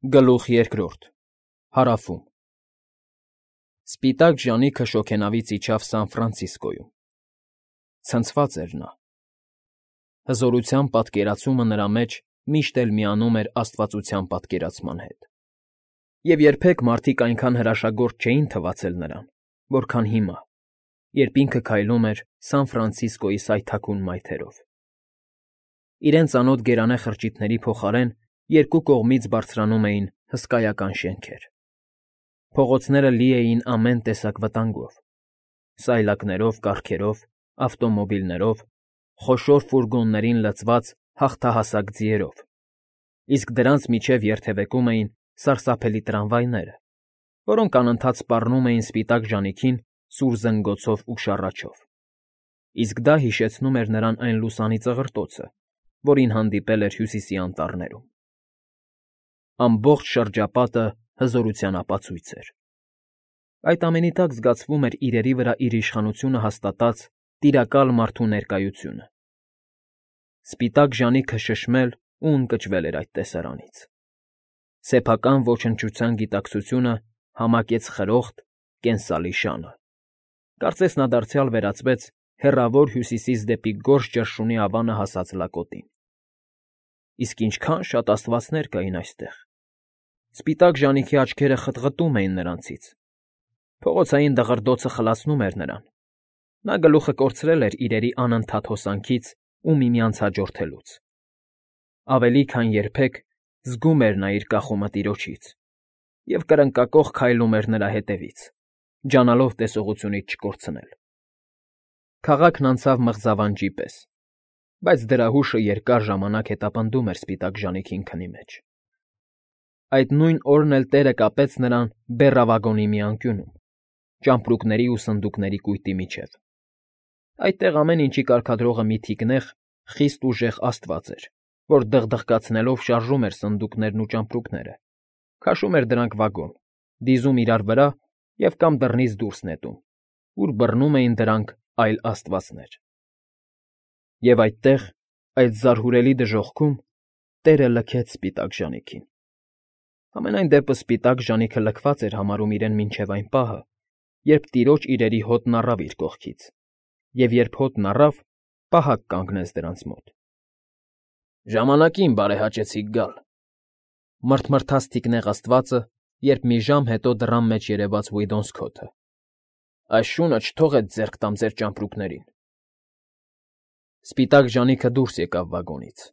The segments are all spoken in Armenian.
Գլուխ երկրորդ Հարավում Սպիտակ ժանիքը շոգենավից իջավ Սան Ֆրանցիսկոյում։ Ցնցված էր նա։ Հզորության պատկերացումը նրա մեջ միշտ էլ միանում էր աստվածության պատկերացման հետ։ Եվ երբեք մարդիկ այնքան հրաշագործ չէին թվացել նրան, որքան հիմա, երբ ինքը քայլում էր Սան Ֆրանցիսկոյի սայթաքուն մայթերով։ Իրենց անոտ գերանե խրճիթների փոխարեն երկու կողմից բարձրանում էին հսկայական շենքեր։ Փողոցները լի էին ամեն տեսակ վտանգով՝ սայլակներով, կառքերով, ավտոմոբիլներով, խոշոր ֆուրգոններին լցված հաղթահասակ ձիերով, իսկ դրանց միջև երթևեկում էին սարսափելի տրամվայները, որոնք անընդհատ սպառնում էին սպիտակ ժանիքին սուր զնգոցով ու շառաչով։ Իսկ դա հիշեցնում էր նրան այն լուսանի ծղրտոցը, որին հանդիպել էր Հյուսիսի անտառներում։ Ամբողջ շրջապատը հզորության ապացույց էր։ Այդ ամենի տակ զգացվում էր իրերի վրա իր իշխանությունը հաստատած տիրակալ մարդու ներկայությունը։ Սպիտակ ժանիքը շշմել ու ընկճվել էր այդ տեսարանից։ Սեփական ոչնչության գիտակցությունը համակեց խրոխտ, կենսալի շանը։ Կարծես նա դարձյալ վերածվեց հեռավոր հյուսիսից դեպի Գորշ ճռշունի ավանը հասած լակոտին։ Իսկ ինչքան շատ աստվածներ կային այստեղ։ Սպիտակ ժանիքի աչքերը խտղտում էին նրանցից։ Փողոցային դղրդոցը խլացնում էր նրան։ Նա գլուխը կորցրել էր իրերի անընդհատ հոսանքից ու միմյանց հաջորդելուց։ Ավելի քան երբեք զգում էր նա իր կախումը տիրոջից և կրնկակոխ քայլում էր նրա հետևից, ջանալով տեսողությունից չկորցնել։ Քաղաքն անցավ մղձավանջի պես, բայց դրա հուշը երկար ժամանակ հետապնդում էր սպիտակ ժանիքին քնի մեջ։ Այդ նույն օրն էլ տերը կապեց նրան բեռավագոնի մի անկյունում, ճամպրուկների ու սնդուկների կույտի միջև։ Այդտեղ ամեն ինչի կարգադրողը մի թիկնեղ, խիստ ուժեղ աստված էր, որ դղդղկացնելով շարժում էր սնդուկներն ու ճամպրուկները, քաշում էր դրանք վագոն, դիզում իրար վրա և կամ դռնից դուրս նետում, ուր բռնում էին դրանք այլ աստվածներ։ Եվ այդտեղ, այդ զարհուրելի դժոխքում, տերը լքեց սպիտակ ժանիքին։ Համենայն դեպս սպիտակ ժանիքը լքված էր համարում իրեն մինչև այն պահը, երբ տիրոջ իրերի հոտն առավ իր կողքից, և երբ հոտն առավ, պահակ կանգնեց դրանց մոտ։ «Ժամանակին բարեհաճեցիք գալ», մռթմռթաց թիկնեղ աստվածը, երբ մի ժամ հետո դռան մեջ երևաց Ուիդոնսքոթը։ «Այս շունը չթողեց ձեռք տամ ձեր ճամպրուկներին»։ Սպիտակ ժանիքը դուրս եկավ վագոնից։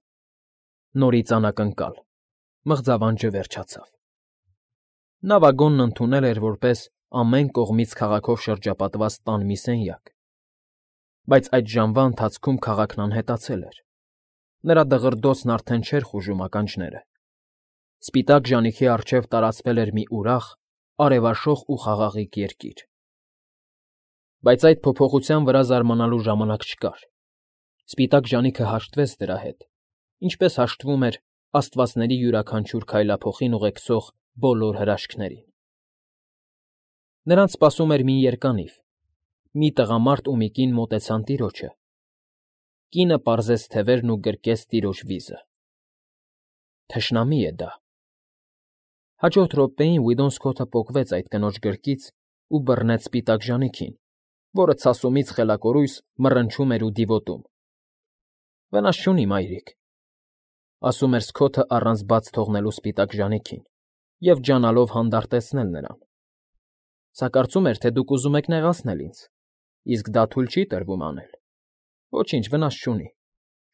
Նորից անակնկալ, մղձավանջը վերջացավ։ Նա վագոնն ընդունել էր որպես ամեն կողմից քաղաքով շրջապատված տան մի սենյակ, բայց այդ ժամվա ընթացքում քաղաքն անհետացել էր։ Նրա դղրդոցն արդեն չէր խուժում ականջները։ Սպիտակ ժանիքի առջև տարածվել էր մի ուրախ, արևաշող ու խաղաղիկ երկիր։ Բայց այդ փոփոխության վրա զարմանալու ժամանակ չկար։ Սպիտակ ժանիքը հաշտվեց դրա հետ, ինչպես հաշտվում էր աստվածների յուրաքանչյուր քայլափոխին ուղեկցող բոլոր հրաշքներին։ Նրանց սպասում էր մի երկանիվ։ Մի տղամարդ ու մի կին մոտեցան տիրոջը։ Կինը պարզեց թևերն ու գրկեց տիրոջ վիզը։ Թշնամի է դա։ Հաջորդ րոպեին Ուիդոնսքոթը պոկվեց այդ կնոջ գրկից ու բռնեց սպիտակ ժանիքին, որը ցասումից խելակորույս մռնչում էր ու դիվոտում։ «Վնաս չունի, մայրիկ», ասում էր Սքոթը առանց բաց թողնելու սպիտակ ժանիքին և ջանալով հանդարտեցնել նրան։ «Սա կարծում էր, թե դուք ուզում եք նեղացնել ինձ, իսկ դա թույլ չի տրվում անել։ Ոչինչ, վնաս չունի,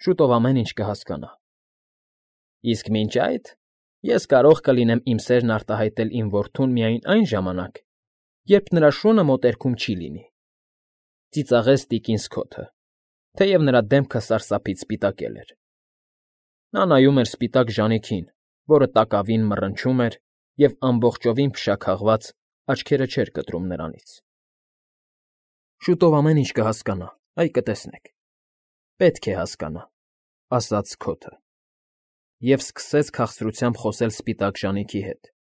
շուտով ամեն ինչ կհասկանա»։ «Իսկ մինչ այդ ես կարող կլինեմ իմ սերն արտահայտել իմ որդուն միայն այն ժամանակ, երբ նրա շունը մոտերքում չի լինի», ծիծաղեց տիկին Սքոթը, թեև նրա դեմքը սարսափից սպիտակել էր։ Նա նայում էր սպիտակ ժանիքին, որը տակավին մռնչում էր և ամբողջովին փշաքաղված աչքերը չէր կտրում նրանից։ «Շուտով ամեն ինչ կհասկանա, այ կտեսնեք։ Պետք է հասկանա», ասաց Սքոթը, և սկսեց քաղցրությամբ խոսել սպիտակ ժանիքի հետ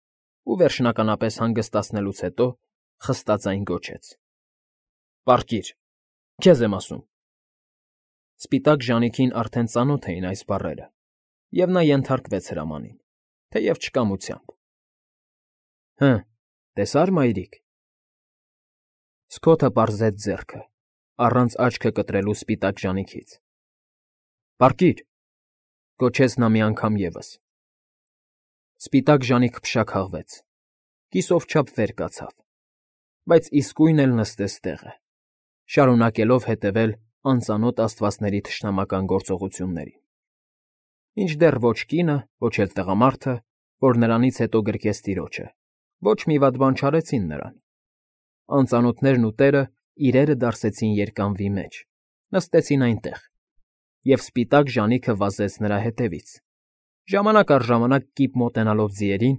ու վերջնականապես հանգստացնելուց հետո խստաձայն գոչեց. «Պառկիր, քեզ եմ ասում»։ Սպիտակ ժանիքին արդեն ծանոթ էին այս բառերը, և նա ենթարկվեց հրամանին, թեև չկամությամբ։ Հը, տեսա՞ր, մայրիկ։ Սքոթը պարզեց ձեռքը, առանց աչքը կտրելու սպիտակ ժանիքից։ Պառկիր, գոչեց նա մի անգամ ևս։ Սպիտակ ժանիքը փշաքաղվեց, կիսով չափ վեր կացավ, բայց իսկույն էլ նստեց տեղը, շարունակելով հետևել անծանոթ աստվածների թշնամական գործողություններին։ Մինչդեռ ոչ կինը, ոչ էլ տղամարդը, որ նրանից հետո գրկեց տիրոջը, ոչ մի վատ բան չարեցին նրան։ Անծանոթներն ու տերը իրերը դարսեցին երկանվի մեջ, նստեցին այնտեղ, և սպիտակ ժանիքը վազեց նրա հետևից, ժամանակ առ ժամանակ կիպ մոտենալով ձիերին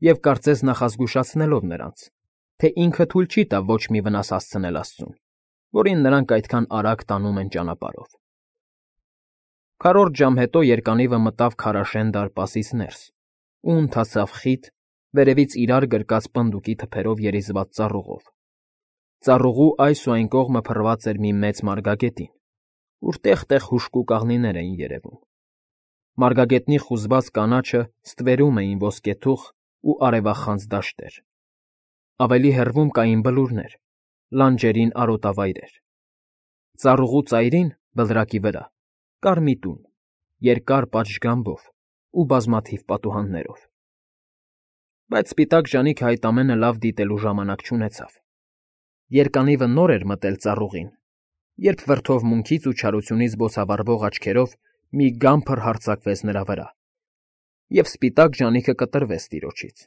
և կարծես նախազգուշացնելով նրանց, թե ինքը թույլ չի տա ոչ մի վնաս հասցնել աստծուն, որին նրանք այդքան արագ տանում են ճանապարհով։ Քառորդ ժամ հետո երկանիվը մտավ քարաշեն դարպասից ներս ու ընթացավ խիտ, վերևից իրար գրկած պնդուկի թփերով երիզված ծառուղով։ Ծառուղու այս ու այն կողմը փռված էր մի մեծ մարգագետին, ուր տեղ֊տեղ հուժկու կաղնիներ էին երևում։ Մարգագետնի խուզված կանաչը ստվերում էին ոսկեթուխ ու արևախանձ դաշտեր։ Ավելի հեռվում կային բլուրներ, լանջերին արոտավայրեր։ Ծառուղու ծայրին, բլրակի վրա, կար մի տուն, երկար պատշգամբով ու բազմաթիվ պատուհաններով։ Բայց սպիտակ ժանիքը այդ ամենը լավ դիտելու ժամանակ չունեցավ։ Երկանիվը նոր էր մտել ծառուղին, երբ վրդովմունքից ու չարությունից բոցավառվող աչքերով մի գամփր հարձակվեց նրա վրա, և սպիտակ ժանիքը կտրվեց տիրոջից։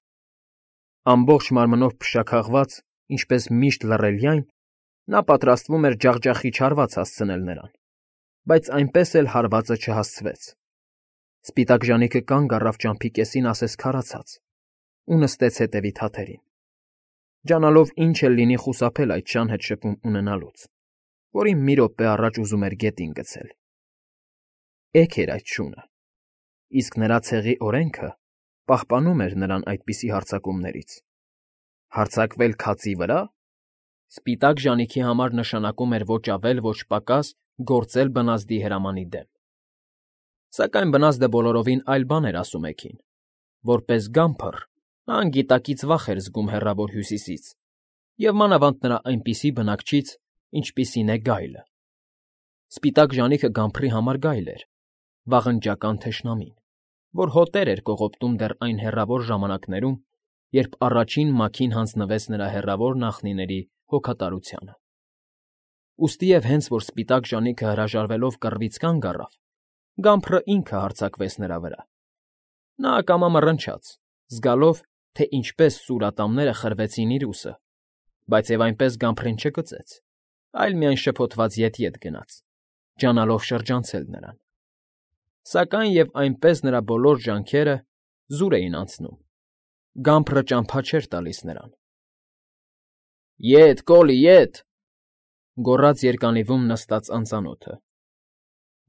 Ամբողջ մարմնով փշաքաղված, ինչպես միշտ լռելյայն, նա պատրաստվում էր ջախջախի չարված հասցնել նրան, բայց այնպես էլ հարվածը չհասցվեց։ Սպիտակ ժանիքը կանգ առավ ճամփի կեսին ասես քարացած ու նստեց հետևի թաթերին, ջանալով ինչ էլ լինի խուսափել այդ շան հետ շփում ունենալուց, որին մի րոպե առաջ ուզում էր գետին գցել։ Էգ էր այդ շունը, իսկ նրա ցեղի օրենքը պահպանում էր նրան այդպիսի հարձակումներից։ Հարձակվել քացի վրա… Սպիտակ ժանիքի համար նշանակում էր ոչ ավել, ոչ պակաս գործել բնազդի հրամանի դեմ։ Սակայն բնազդը բոլորովին այլ բան էր ասում էգին. որպես գամփր նա անգիտակից վախ էր զգում հեռավոր հյուսիսից և մանավանդ նրա այնպիսի բնակչից, ինչպիսին է գայլը։ Սպիտակ ժանիքը գամփրի համար գայլ էր, վաղնջական թշնամին, որ հոտեր էր կողոպտում դեռ այն հեռավոր ժամանակներում, երբ առաջին մաքին հանձնվեց նրա հեռավոր նախնիների հոգատարությանը։ Ուստի և հենց որ սպիտակ ժանիքը հրաժարվելով կռվից կանգ առավ, գամփրը ինքը հարձակվեց նրա վրա։ Նա ակամա մռնչաց, զգալով, թե ինչպես սուր ատամները խրվեցին իր ուսը, բայց և այնպես գամփրին չկծեց, այլ միայն շփոթված ետ-ետ գնաց, ջանալով շրջանցել նրան։ Սակայն և այնպես նրա բոլոր ջանքերը զուր էին անցնում, գամփրը ճամփա չէր տալիս նրան։ Ետ, Կոլի, ետ,֊ գոռաց երկանիվում նստած անծանոթը։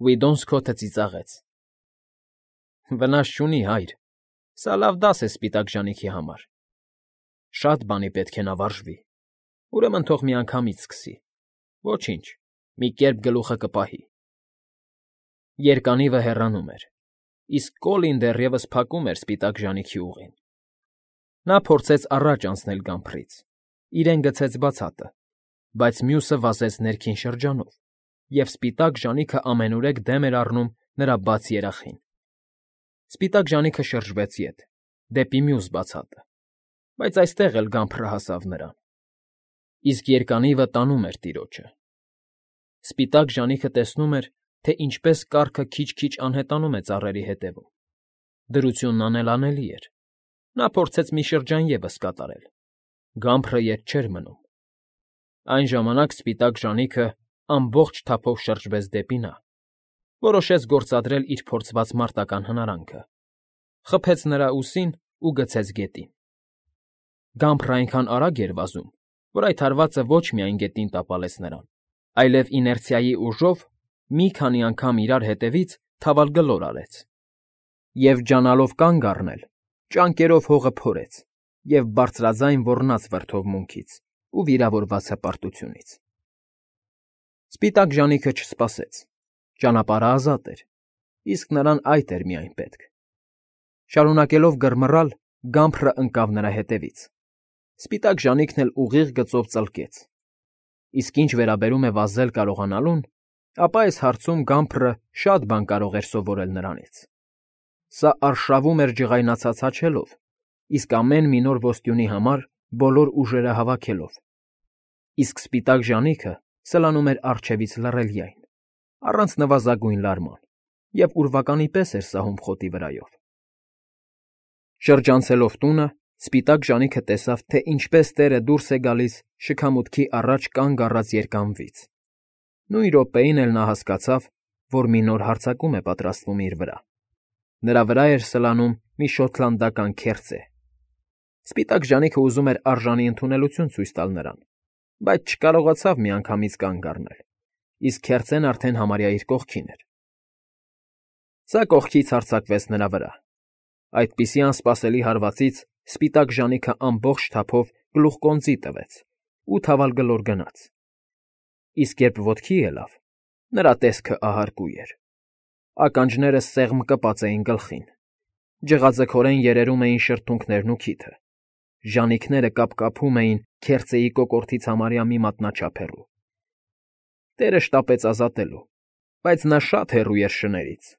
Վիդոն Սքոթը ծիծաղեց. Վնաս չունի, հայր, սա լավ դաս է սպիտակ ժանիքի համար։ Շատ բանի պետք է նա վարժվի, ուրեմն թող միանգամից սկսի, ոչինչ, մի կերպ գլուխը կպահի։ Երկանիվը հեռանում էր, իսկ Կոլին դեռևս փակում էր սպիտակ ժանիքի ուղին։ Նա փորձեց առաջ անցնել գամփրից, իրեն գցեց բացատը, բայց մյուսը վազեց ներքին շրջանով, և սպիտակ ժանիքը ամենուրեք դեմ էր առնում նրա բաց երախին։ Սպիտակ ժանիքը շրջվեց ետ, դեպի մյուս բացատը, բայց այստեղ էլ գամփրը հասավ նրան, իսկ երկանիվը տանում էր տիրոջը։ Սպիտակ ժանիքը տեսնում էր, թե ինչպես կառքը քիչ-քիչ անհետանում է ծառերի հետևում։ Դրությունն անելանելի էր։ Նա փորձեց մի շրջան ևս կատարել։ Գամփրը ետ չէր մնում։ Այն ժամանակ սպիտակ ժանիքը ամբողջ թափով շրջվեց դեպի նա, որոշեց գործադրել իր փորձված մարտական հնարանքը, խփեց նրա ուսին ու գցեց գետին։ Գամփրը այնքան արագ էր վազում, որ այդ հարվածը ոչ միայն գետին տապալեց նրան, այլև իներցիայի ուժով մի քանի անգամ իրար հետևից թավալգլոր արեց և, ջանալով կանգ առնել, ճանկերով հողը փորեց և բարձրաձայն ոռնաց վրդովմունքից ու վիրավորված հպարտությունից։ Սպիտակ ժանիքը չսպասեց, ճանապարհը ազատ էր, իսկ նրան այդ էր միայն պետք։ Շարունակելով գրմռալ, գամփրը ընկավ նրա հետևից, Սպիտակ ժանիքն էլ ուղիղ գծով ծլկեց։ Իսկ ինչ վերաբերում է վազել կարողանալուն, ապա այս հարցում Գամփրը շատ բան կարող էր սովորել նրանից։ Սա արշավում էր ջղայնացած հաչելով, իսկ ամեն մի նոր ոստյունի համար բոլոր ուժերը հավաքելով։ Իսկ սպիտակ ժանիքը սլանում էր առջևից լռելյայն, առանց նվազագույն լարման, և ուրվականի պես էր սահում խոտի վրայով։ Շրջանցելով տունը, սպիտակ ժանիքը տեսավ, թե ինչպես տերը դուրս է գալիս շքամուտքի առաջ կանգ առած երկամվից։ Նույն րոպեին էլ նա հասկացավ, որ մի նոր հարձակում է պատրաստվում իր վրա։ Նրա վրա էր սլանում մի շոտլանդական քերծե։ Սպիտակ ժանիքը ուզում էր արժանի ընդունելություն ցույց տալ նրան, բայց չկարողացավ միանգամից կանգ առնել, իսկ քերծեն արդեն համարյա իր կողքին էր։ Սա կողքից հարձակվեց նրա վրա։ Այդպիսի անսպասելի հարվածից սպիտակ ժանիքը ամբողջ թափով գլուխկոնծի տվեց ու թավալգլոր գնաց։ Իսկ երբ ոտքի ելավ, նրա տեսքը ահարկու էր։ Ականջները սեղմ կպած էին գլխին, ջղաձգորեն երերում էին շրթունքներն ու քիթը, ժանիքները կապկապում էին քերծեի կոկորդից համարյա մի մատնաչափ հեռու։ Տերը շտապեց ազատելու, բայց նա շատ հեռու էր շներից,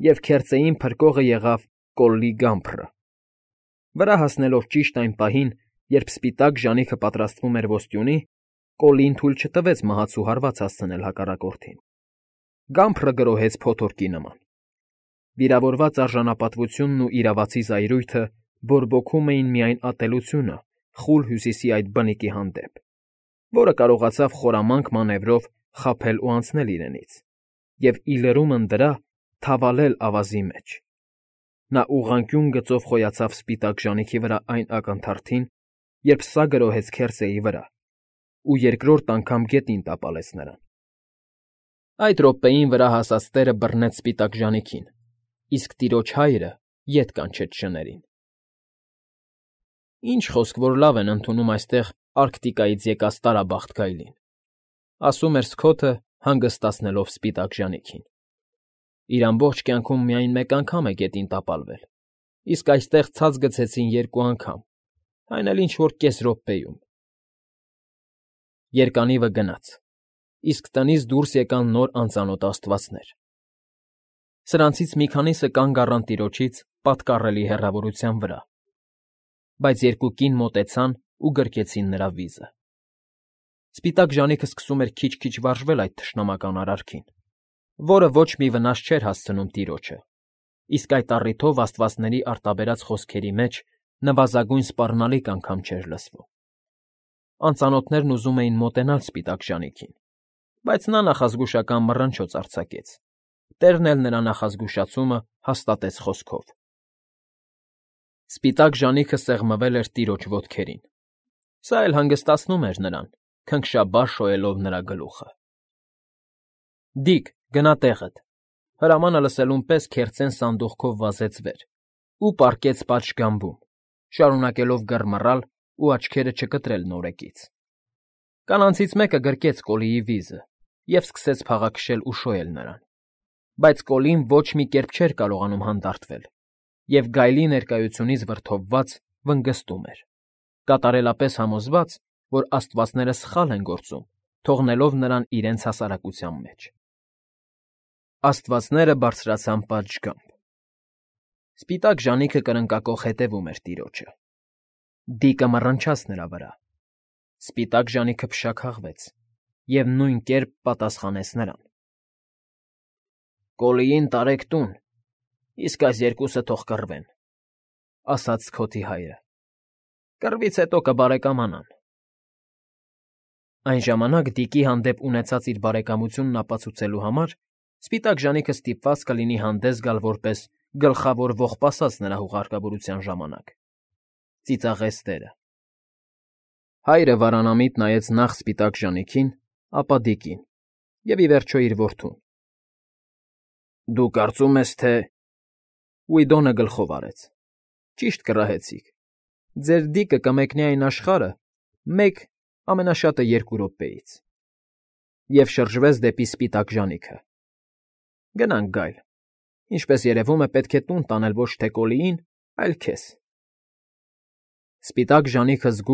և քերծեին փրկողը եղավ Կոլլի Գամփրը։ Վրա հասնելով ճիշտ այն պահին, երբ սպիտակ ժանիքը պատրաստվում էր ոստյունի, Կոլլին թույլ չտվեց մահացու հարված հասցնել հակառակորդին։ Գամփրը գրոհեց փոթորկի նման։ Վիրավորված արժանապատվությունն ու իրավացի զայրույթը բորբոքում էին միայն ատելությունը խուլ հյուսիսի այդ բնիկի հանդեպ, որը կարողացավ խորամանկ մանևրով խաբել ու անցնել իրենից, և ի լրումն դրա թավալել ավազի մեջ։ Նա ուղղանկյուն գծով խոյացավ սպիտակ ժանիքի վրա այն ակնթարթին, երբ սա գրոհեց քերծեի վրա, ու երկրորդ անգամ գետին տապալեց նրան։ Այդ րոպեին վրա հասած տերը բռնեց սպիտակ ժանիքին, իսկ տիրոջ հայրը ետ կանչեց շներին։ Ինչ խոսք, որ լավ են ընդունում այստեղ Արկտիկայից եկած տարաբախտ գայլին, ասում էր Սքոթը, հանգստացնելով սպիտակ ժանիքին։ Իր ամբողջ կյանքում միայն մեկ անգամ է գետին տապալվել, իսկ այստեղ ցած գցեցին 2 անգամ, այն էլ ինչ֊որ կես րոպեում։ Երկանիվը գնաց, իսկ տնից դուրս եկան նոր անծանոթ աստվածներ։ Սրանցից մի քանիսը կանգ առան տիրոջից պատկառելի հեռավորության վրա, բայց 2 կին մոտեցան ու գրկեցին նրա վիզը։ Սպիտակ ժանիքը սկսում էր քիչ-քիչ վարժվել այդ թշնամական արարքին, որը ոչ մի վնաս չէր հասցնում տիրոջը, իսկ այդ առիթով աստվածների արտաբերած խոսքերի մեջ նվազագույն սպառնալիք անգամ չէր լսվում։ Անծանոթներն ուզում էին մոտենալ սպիտակ ժանիքին, բայց նա նախազգուշական մռնչոց արձակեց։ Տերն էլ նրա նախազգուշացումը հաստատեց խոսքով։ Սպիտակ ժանիքը սեղմվել էր տիրոջ ոտքերին։ Սա էլ հանգստացնում էր նրան, քնքշաբար շոյելով նրա գլուխը։ Դիկ, գնա տեղդ, հրամանը լսելուն պես քերծեն սանդուղքով վազեց վեր ու պառկեց պատշգամբում, շարունակելով գռմռալ ու աչքերը չկտրել նորեկից։ Կանանցից մեկը գրկեց Կոլլիի վիզը և սկսեց փաղաքշել ու շոյել նրան, բայց Կոլլին ոչ մի կերպ չէր կարողանում հանդարտվել և գայլի ներկայությունից վրդովված վնգստում էր, կատարելապես համոզված, որ աստվածները սխալ են գործում, թողնելով նրան իրենց հասարակության մեջ։ Աստվածները բարձրացան պատշգամբ։ Սպիտակ ժանիքը կրնկակոխ հետևում էր տիրոջը։ Դիկը մռնչաց նրա վրա։ Սպիտակ ժանիքը փշաքաղվեց և նույն կերպ պատասխանեց նրան։ Կոլլիին տարեք տուն, իսկ այս 2-ը թող կռվեն, ասաց Սքոթի հայրը։ Կռվից հետո կբարեկամանան։ Այն ժամանակ Դիկի հանդեպ ունեցած իր բարեկամությունն ապացուցելու համար սպիտակ ժանիքը ստիպված կլինի հանդես գալ որպես գլխավոր ողբասած նրա հուղարկավորության ժամանակ։ Ծիծաղեց տերը։ Հայրը վարանամիտ նայեց նախ սպիտակ ժանիքին, ապա Դիկին և ի վերջո իր որդուն։ Դու կարծում ես, թե… Ուիդոնը գլխով արեց։ Ճիշտ կռահեցիք։ Ձեր Դիկը կմեկնի այն աշխարհը մեկ, ամենաշատը 2 րոպեից։ Եվ շրջվեց դեպի սպիտակ ժանիքը։ Գնանք, Գայլ։ Ինչպես երևում է, պետք է տուն տանել ոչ թե Կոլլիին, այլ քեզ։ Սպիտակ ժանիքը